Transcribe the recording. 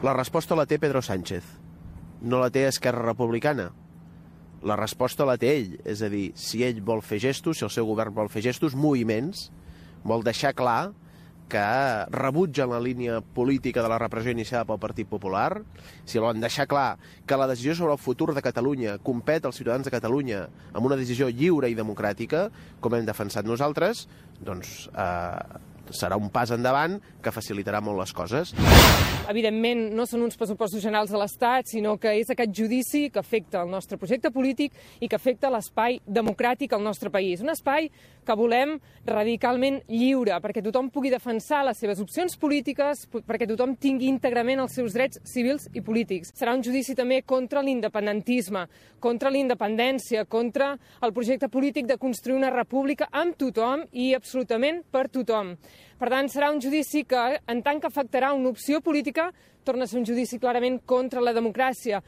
La resposta la té Pedro Sánchez, no la té Esquerra Republicana. La resposta la té ell, és a dir, si ell vol fer gestos, si el seu govern vol fer gestos, moviments, vol deixar clar que rebutgen la línia política de la repressió iniciada pel Partit Popular, si volen deixar clar que la decisió sobre el futur de Catalunya compet als ciutadans de Catalunya amb una decisió lliure i democràtica, com hem defensat nosaltres, doncs serà un pas endavant que facilitarà molt les coses. Evidentment, no són uns pressupostos generals de l'Estat, sinó que és aquest judici que afecta el nostre projecte polític i que afecta l'espai democràtic al nostre país. Un espai que volem radicalment lliure, perquè tothom pugui defensar les seves opcions polítiques, perquè tothom tingui íntegrament els seus drets civils i polítics. Serà un judici també contra l'independentisme, contra la independència, contra el projecte polític de construir una república amb tothom i absolutament per tothom. Per tant, serà un judici que, en tant que afectarà una opció política, torna a ser un judici clarament contra la democràcia.